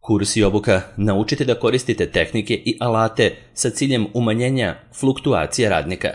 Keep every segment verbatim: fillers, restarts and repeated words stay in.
Kurs i obuka naučite da koristite tehnike i alate sa ciljem umanjenja fluktuacije radnika.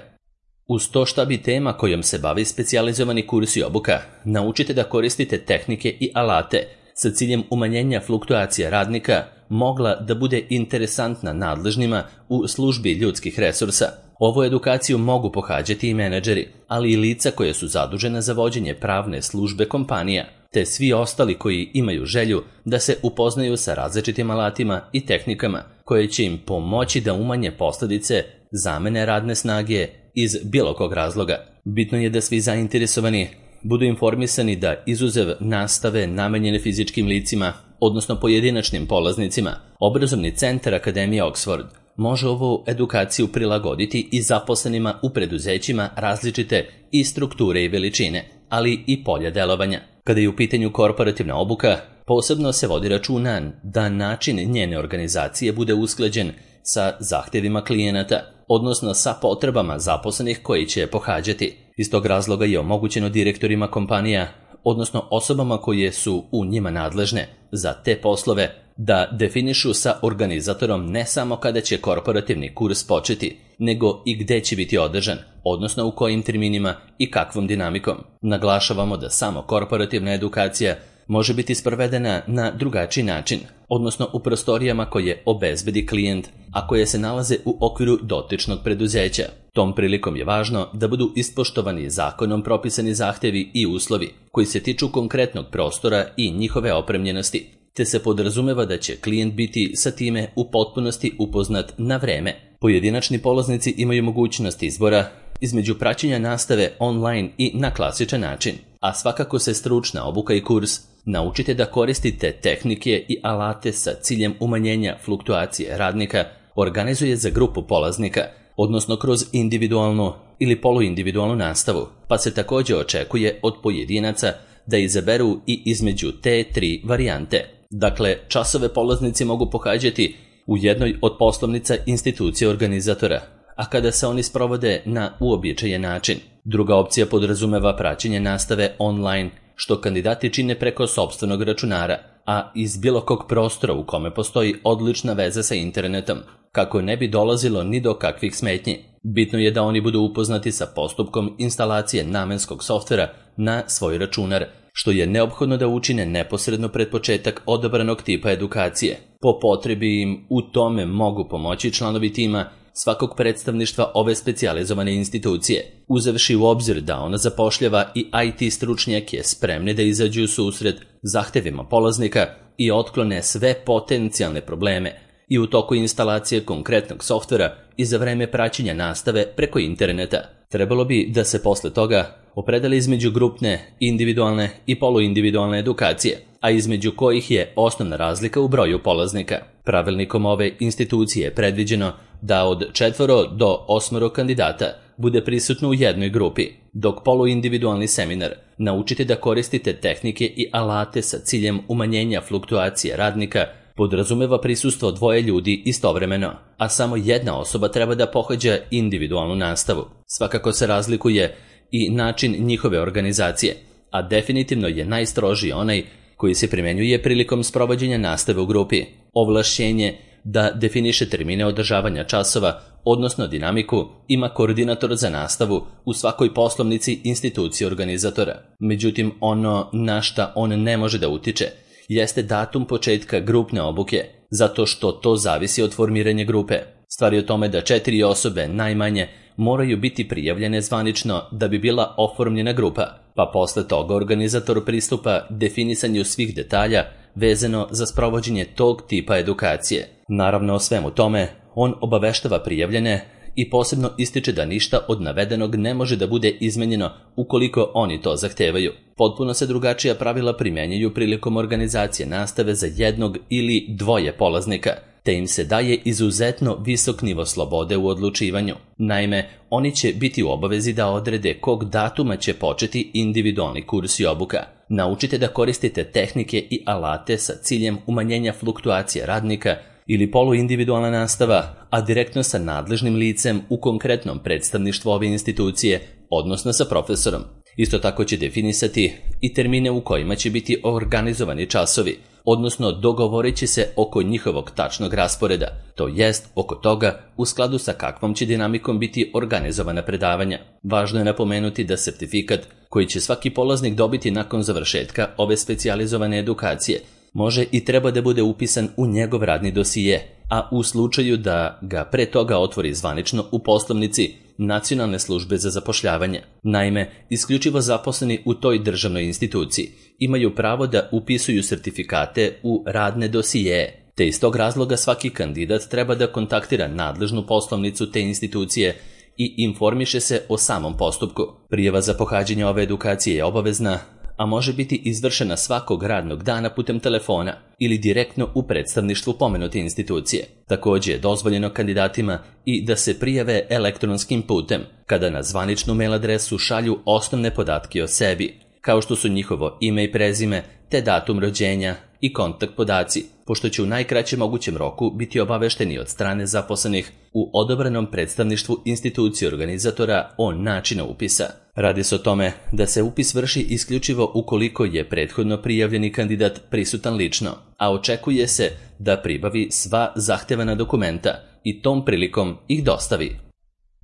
Uz to šta bi tema kojom se bavi specijalizovani kurs i obuka, naučite da koristite tehnike i alate sa ciljem umanjenja fluktuacije radnika mogla da bude interesantna nadležnima u službi ljudskih resursa. Ovu edukaciju mogu pohađati i menadžeri, ali i lica koje su zadužena za vođenje pravne službe kompanija, te svi ostali koji imaju želju da se upoznaju sa različitim alatima i tehnikama koje će im pomoći da umanje posljedice zamene radne snage iz bilo kog razloga. Bitno je da svi zainteresovani budu informisani da izuzev nastave namenjene fizičkim licima, odnosno pojedinačnim polaznicima, obrazovni centar Akademije Oxford može ovu edukaciju prilagoditi i zaposlenima u preduzećima različite i strukture i veličine, ali i polja delovanja. Kada je u pitanju korporativna obuka, posebno se vodi računa da način njene organizacije bude usklađen sa zahtevima klijenata, odnosno sa potrebama zaposlenih koji će pohađati. Iz tog razloga je omogućeno direktorima kompanija, odnosno osobama koje su u njima nadležne za te poslove, da definišu sa organizatorom ne samo kada će korporativni kurs početi, nego i gde će biti održan, odnosno u kojim terminima i kakvom dinamikom. Naglašavamo da samo korporativna edukacija može biti sprovedena na drugačiji način, odnosno u prostorijama koje obezbedi klijent, a koje se nalaze u okviru dotičnog preduzeća. Tom prilikom je važno da budu ispoštovani zakonom propisani zahtevi i uslovi koji se tiču konkretnog prostora i njihove opremljenosti, te se podrazumeva da će klijent biti sa time u potpunosti upoznat na vreme. Pojedinačni polaznici imaju mogućnost izbora između praćenja nastave online i na klasičan način, a svakako se stručna obuka i kurs naučite da koristite tehnike i alate sa ciljem umanjenja fluktuacije radnika organizuje za grupu polaznika, odnosno kroz individualnu ili poluindividualnu nastavu, pa se također očekuje od pojedinaca da izaberu i između te tri varijante. Dakle, časove polaznici mogu pohađati u jednoj od poslovnica institucije organizatora, a kada se oni sprovode na uobičajen način. Druga opcija podrazumeva praćenje nastave online, što kandidati čine preko sopstvenog računara, a iz bilo kog prostora u kome postoji odlična veza sa internetom, kako ne bi dolazilo ni do kakvih smetnji. Bitno je da oni budu upoznati sa postupkom instalacije namenskog softvera na svoj računar, što je neophodno da učine neposredno pred početak odabranog tipa edukacije. Po potrebi im u tome mogu pomoći članovi tima svakog predstavništva ove specijalizovane institucije, uzevši u obzir da ona zapošljava i I T stručnjake spremne da izađu u susret zahtevima polaznika i otklone sve potencijalne probleme i u toku instalacije konkretnog softvera i za vreme praćenja nastave preko interneta. Trebalo bi da se posle toga opredeli između grupne, individualne i poluindividualne edukacije, a između kojih je osnovna razlika u broju polaznika. Pravilnikom ove institucije je predviđeno da od četvoro do osmoro kandidata bude prisutno u jednoj grupi, dok poluindividualni seminar naučite da koristite tehnike i alate sa ciljem umanjenja fluktuacije radnika podrazumeva prisustvo dvoje ljudi istovremeno, a samo jedna osoba treba da pohađa individualnu nastavu. Svakako se razlikuje i način njihove organizacije, a definitivno je najstrožiji onaj koji se primenjuje prilikom sprovođenja nastave u grupi. Ovlašćenje da definiše termine održavanja časova, odnosno dinamiku, ima koordinator za nastavu u svakoj poslovnici institucije organizatora. Međutim, ono na šta on ne može da utiče jeste datum početka grupne obuke, zato što to zavisi od formiranja grupe. Stvar je o tome da četiri osobe najmanje moraju biti prijavljene zvanično da bi bila oformljena grupa, pa posle toga organizator pristupa definisanju svih detalja vezano za sprovođenje tog tipa edukacije. Naravno, o svemu tome on obaveštava prijavljene i posebno ističe da ništa od navedenog ne može da bude izmenjeno ukoliko oni to zahtevaju. Potpuno se drugačija pravila primjenjuju prilikom organizacije nastave za jednog ili dvoje polaznika, te im se daje izuzetno visok nivo slobode u odlučivanju. Naime, oni će biti u obavezi da odrede kog datuma će početi individualni kurs i obuka. Naučite da koristite tehnike i alate sa ciljem umanjenja fluktuacije radnika ili poluindividualna nastava, a direktno sa nadležnim licem u konkretnom predstavništvu ove institucije, odnosno sa profesorom. Isto tako će definisati i termine u kojima će biti organizovani časovi, odnosno dogovorit će se oko njihovog tačnog rasporeda, to jest oko toga u skladu sa kakvom će dinamikom biti organizovana predavanja. Važno je napomenuti da sertifikat koji će svaki polaznik dobiti nakon završetka ove specijalizovane edukacije može i treba da bude upisan u njegov radni dosije, a u slučaju da ga pre toga otvori zvanično u poslovnici Nacionalne službe za zapošljavanje. Naime, isključivo zaposleni u toj državnoj instituciji imaju pravo da upisuju sertifikate u radne dosije, te iz tog razloga svaki kandidat treba da kontaktira nadležnu poslovnicu te institucije i informiše se o samom postupku. Prijava za pohađanje ove edukacije je obavezna, a može biti izvršena svakog radnog dana putem telefona ili direktno u predstavništvu pomenute institucije. Također je dozvoljeno kandidatima i da se prijave elektronskim putem, kada na zvaničnu mail adresu šalju osnovne podatke o sebi, kao što su njihovo ime i prezime, te datum rođenja i kontakt podaci, pošto će u najkraćem mogućem roku biti obavešteni od strane zaposlenih u odobranom predstavništvu institucije organizatora o načinu upisa. Radi se o tome da se upis vrši isključivo ukoliko je prethodno prijavljeni kandidat prisutan lično, a očekuje se da pribavi sva zahtevana dokumenta i tom prilikom ih dostavi.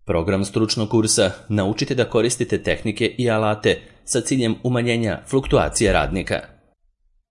Program stručnog kursa Naučite da koristite tehnike i alate sa ciljem umanjenja fluktuacije radnika.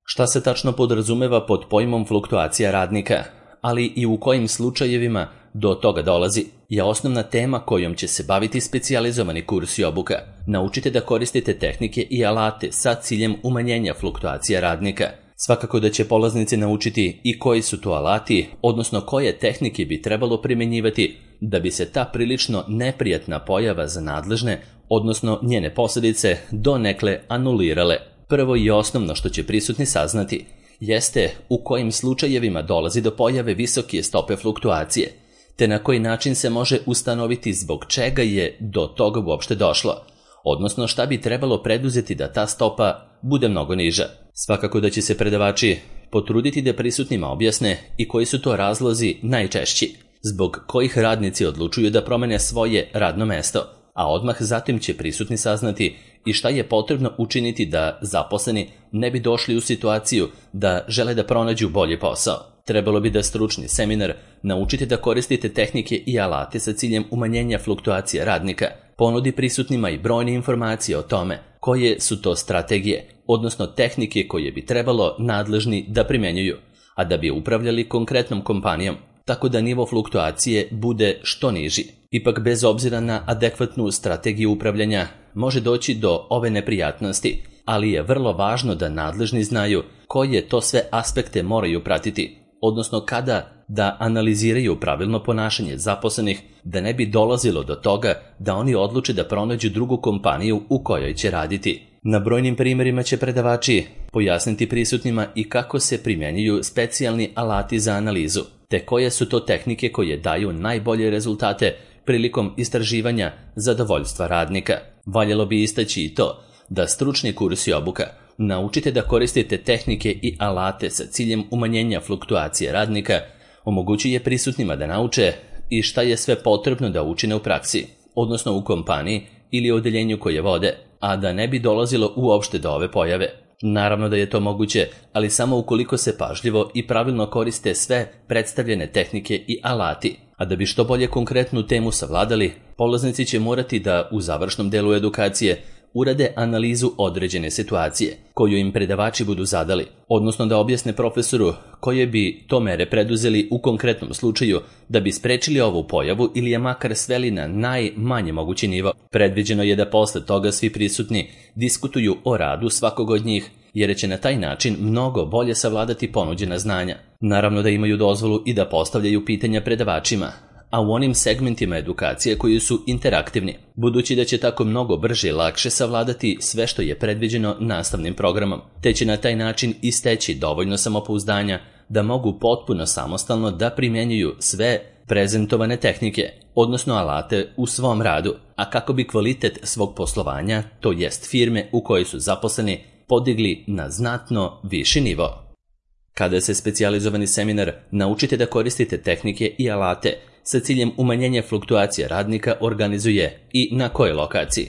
Šta se tačno podrazumeva pod pojmom fluktuacija radnika, ali i u kojim slučajevima do toga dolazi, je osnovna tema kojom će se baviti specijalizovani kurs i obuka. Naučite da koristite tehnike i alate sa ciljem umanjenja fluktuacija radnika. Svakako da će polaznici naučiti i koji su to alati, odnosno koje tehnike bi trebalo primjenjivati da bi se ta prilično neprijatna pojava za nadležne, odnosno njene posljedice, donekle anulirale. Prvo i osnovno što će prisutni saznati jeste u kojim slučajevima dolazi do pojave visoke stope fluktuacije, te na koji način se može ustanoviti zbog čega je do toga uopšte došlo, odnosno šta bi trebalo preduzeti da ta stopa bude mnogo niža. Svakako da će se predavači potruditi da prisutnima objasne i koji su to razlozi najčešći, zbog kojih radnici odlučuju da promene svoje radno mesto, a odmah zatim će prisutni saznati i šta je potrebno učiniti da zaposleni ne bi došli u situaciju da žele da pronađu bolji posao. Trebalo bi da stručni seminar Naučite da koristite tehnike i alate sa ciljem umanjenja fluktuacije radnika ponudi prisutnima i brojne informacije o tome koje su to strategije, odnosno tehnike koje bi trebalo nadležni da primjenjuju, a da bi upravljali konkretnom kompanijom, tako da nivo fluktuacije bude što niži. Ipak, bez obzira na adekvatnu strategiju upravljanja, može doći do ove neprijatnosti, ali je vrlo važno da nadležni znaju koje to sve aspekte moraju pratiti, odnosno kada da analiziraju pravilno ponašanje zaposlenih, da ne bi dolazilo do toga da oni odluče da pronađu drugu kompaniju u kojoj će raditi. Na brojnim primjerima će predavači pojasniti prisutnima i kako se primjenjuju specijalni alati za analizu, te koje su to tehnike koje daju najbolje rezultate prilikom istraživanja zadovoljstva radnika. Valjalo bi istaći i to da stručni kurs i obuka Naučite da koristite tehnike i alate sa ciljem umanjenja fluktuacije radnika omogućuje prisutnima da nauče i šta je sve potrebno da učine u praksi, odnosno u kompaniji ili odeljenju koje vode, a da ne bi dolazilo uopšte do ove pojave. Naravno da je to moguće, ali samo ukoliko se pažljivo i pravilno koriste sve predstavljene tehnike i alati. A da bi što bolje konkretnu temu savladali, polaznici će morati da u završnom delu edukacije urade analizu određene situacije koju im predavači budu zadali, odnosno da objasne profesoru koje bi to mere preduzeli u konkretnom slučaju da bi sprečili ovu pojavu ili je makar sveli na najmanje mogući nivo. Predviđeno je da posle toga svi prisutni diskutuju o radu svakog od njih, jer će na taj način mnogo bolje savladati ponuđena znanja. Naravno da imaju dozvolu i da postavljaju pitanja predavačima, a u onim segmentima edukacije koji su interaktivni, budući da će tako mnogo brže i lakše savladati sve što je predviđeno nastavnim programom, te će na taj način isteći dovoljno samopouzdanja da mogu potpuno samostalno da primjenjuju sve prezentovane tehnike, odnosno alate u svom radu, a kako bi kvalitet svog poslovanja, to jest firme u kojoj su zaposleni, podigli na znatno viši nivo. Kada se specijalizovani seminar Naučite da koristite tehnike i alate sa ciljem umanjenja fluktuacije radnika organizuje i na kojoj lokaciji?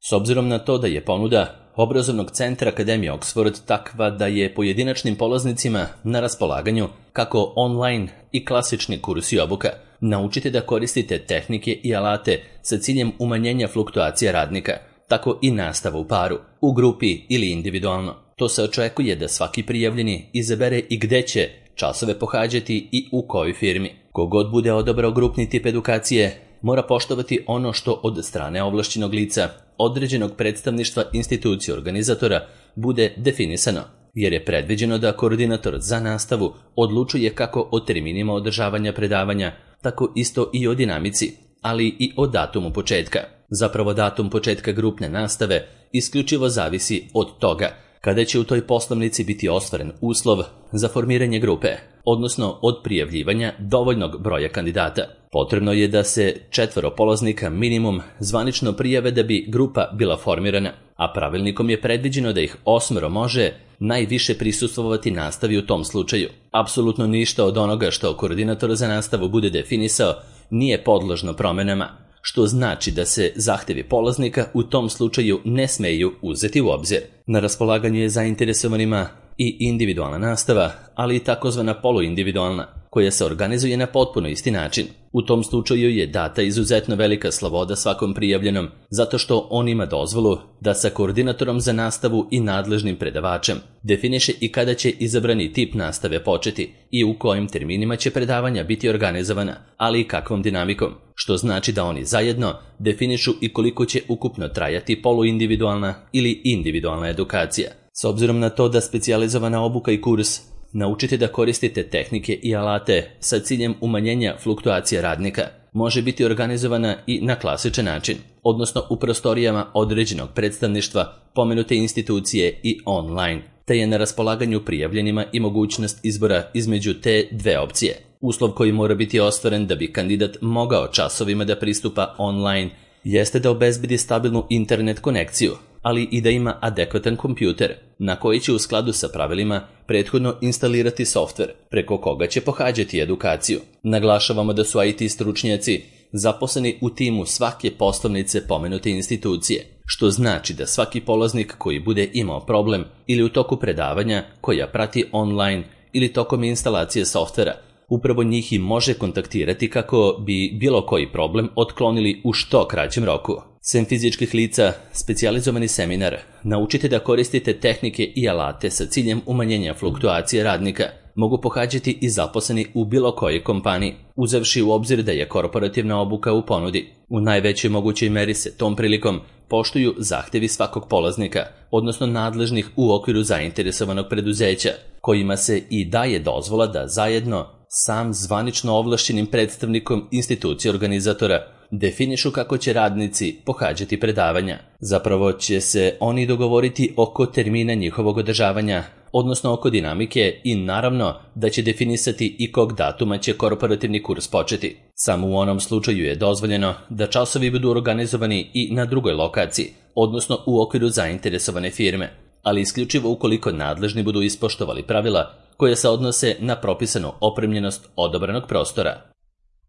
S obzirom na to da je ponuda obrazovnog centra Akademije Oxford takva da je pojedinačnim polaznicima na raspolaganju kako online i klasični kursi i obuka. Naučite da koristite tehnike i alate sa ciljem umanjenja fluktuacija radnika, tako i nastava u paru, u grupi ili individualno. To se očekuje da svaki prijavljeni izabere i gde će časove pohađati i u kojoj firmi. Kogod bude odabrao grupni tip edukacije, mora poštovati ono što od strane ovlašćenog lica, određenog predstavništva institucije organizatora, bude definisano, jer je predviđeno da koordinator za nastavu odlučuje kako o terminima održavanja predavanja, tako isto i o dinamici, ali i o datumu početka. Zapravo datum početka grupne nastave isključivo zavisi od toga kada će u toj poslovnici biti ostvaren uslov za formiranje grupe, odnosno od prijavljivanja dovoljnog broja kandidata. Potrebno je da se četvoro polaznika minimum zvanično prijave da bi grupa bila formirana, a pravilnikom je predviđeno da ih osmero može najviše prisustvovati nastavi u tom slučaju. Apsolutno ništa od onoga što koordinator za nastavu bude definisao nije podložno promenama, što znači da se zahtevi polaznika u tom slučaju ne smeju uzeti u obzir. Na raspolaganju je zainteresovanima i individualna nastava, ali i takozvana poluindividualna, koja se organizuje na potpuno isti način. U tom slučaju je data izuzetno velika sloboda svakom prijavljenom, zato što on ima dozvolu da sa koordinatorom za nastavu i nadležnim predavačem definiše i kada će izabrani tip nastave početi i u kojim terminima će predavanja biti organizovana, ali i kakvom dinamikom, što znači da oni zajedno definišu i koliko će ukupno trajati poluindividualna ili individualna edukacija. S obzirom na to da specijalizovana obuka i kurs naučite da koristite tehnike i alate sa ciljem umanjenja fluktuacija radnika, može biti organizovana i na klasičan način, odnosno u prostorijama određenog predstavništva pomenute institucije i online, te je na raspolaganju prijavljenima i mogućnost izbora između te dve opcije. Uslov koji mora biti ostvaren da bi kandidat mogao časovima da pristupa online jeste da obezbedi stabilnu internet konekciju, ali i da ima adekvatan kompjuter na koji će u skladu sa pravilima prethodno instalirati softver preko koga će pohađati edukaciju. Naglašavamo da su I T stručnjaci zaposleni u timu svake poslovnice pomenute institucije, što znači da svaki polaznik koji bude imao problem ili u toku predavanja koja prati online ili tokom instalacije softvera, upravo njih i može kontaktirati kako bi bilo koji problem otklonili u što kraćem roku. Sem fizičkih lica, specijalizovani seminar naučite da koristite tehnike i alate sa ciljem umanjenja fluktuacije radnika mogu pohađati i zaposleni u bilo kojoj kompaniji, uzevši u obzir da je korporativna obuka u ponudi. U najvećoj mogućoj meri se tom prilikom poštuju zahtevi svakog polaznika, odnosno nadležnih u okviru zainteresovanog preduzeća, kojima se i daje dozvola da zajedno sam zvanično ovlašćenim predstavnikom institucije organizatora definišu kako će radnici pohađati predavanja. Zapravo će se oni dogovoriti oko termina njihovog održavanja, odnosno oko dinamike i naravno da će definisati i kog datuma će korporativni kurs početi. Samo u onom slučaju je dozvoljeno da časovi budu organizovani i na drugoj lokaciji, odnosno u okviru zainteresovane firme, ali isključivo ukoliko nadležni budu ispoštovali pravila koje se odnose na propisanu opremljenost odabranog prostora.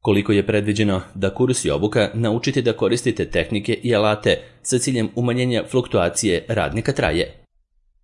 Koliko je predviđeno da kurs i obuka naučite da koristite tehnike i alate sa ciljem umanjenja fluktuacije radnika traje.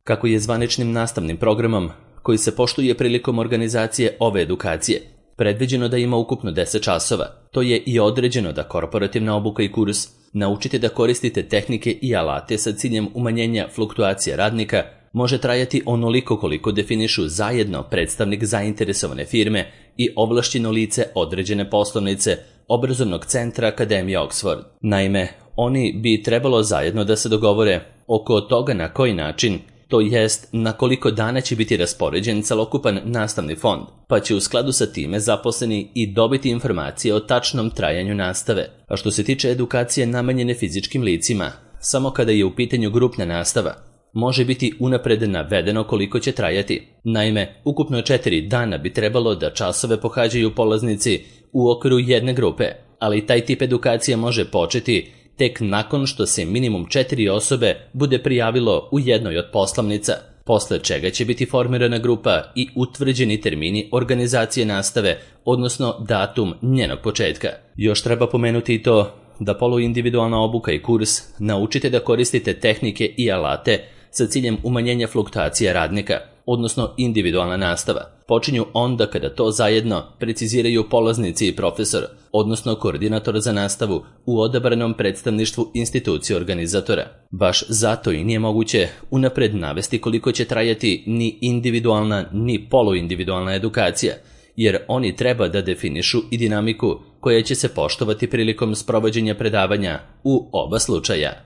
Kako je zvaničnim nastavnim programom, koji se poštuje prilikom organizacije ove edukacije, predviđeno da ima ukupno deset časova, to je i određeno da korporativna obuka i kurs naučite da koristite tehnike i alate sa ciljem umanjenja fluktuacije radnika može trajati onoliko koliko definišu zajedno predstavnik zainteresovane firme i ovlašćeno lice određene poslovnice obrazovnog centra Akademije Oxford. Naime, oni bi trebalo zajedno da se dogovore oko toga na koji način, to jest na koliko dana će biti raspoređen celokupan nastavni fond, pa će u skladu sa time zaposleni i dobiti informacije o tačnom trajanju nastave. A što se tiče edukacije namenjene fizičkim licima, samo kada je u pitanju grupna nastava, može biti unapred navedeno koliko će trajati. Naime, ukupno četiri dana bi trebalo da časove pohađaju polaznici u okviru jedne grupe, ali taj tip edukacije može početi tek nakon što se minimum četiri osobe bude prijavilo u jednoj od poslovnica, posle čega će biti formirana grupa i utvrđeni termini organizacije nastave, odnosno datum njenog početka. Još treba pomenuti i to da poluindividualna obuka i kurs naučite da koristite tehnike i alate sa ciljem umanjenja fluktuacije radnika, odnosno individualna nastava, počinju onda kada to zajedno preciziraju polaznici i profesor, odnosno koordinator za nastavu u odabranom predstavništvu institucije organizatora. Baš zato i nije moguće unapred navesti koliko će trajati ni individualna ni poluindividualna edukacija, jer oni treba da definišu i dinamiku koja će se poštovati prilikom sprovođenja predavanja u oba slučaja.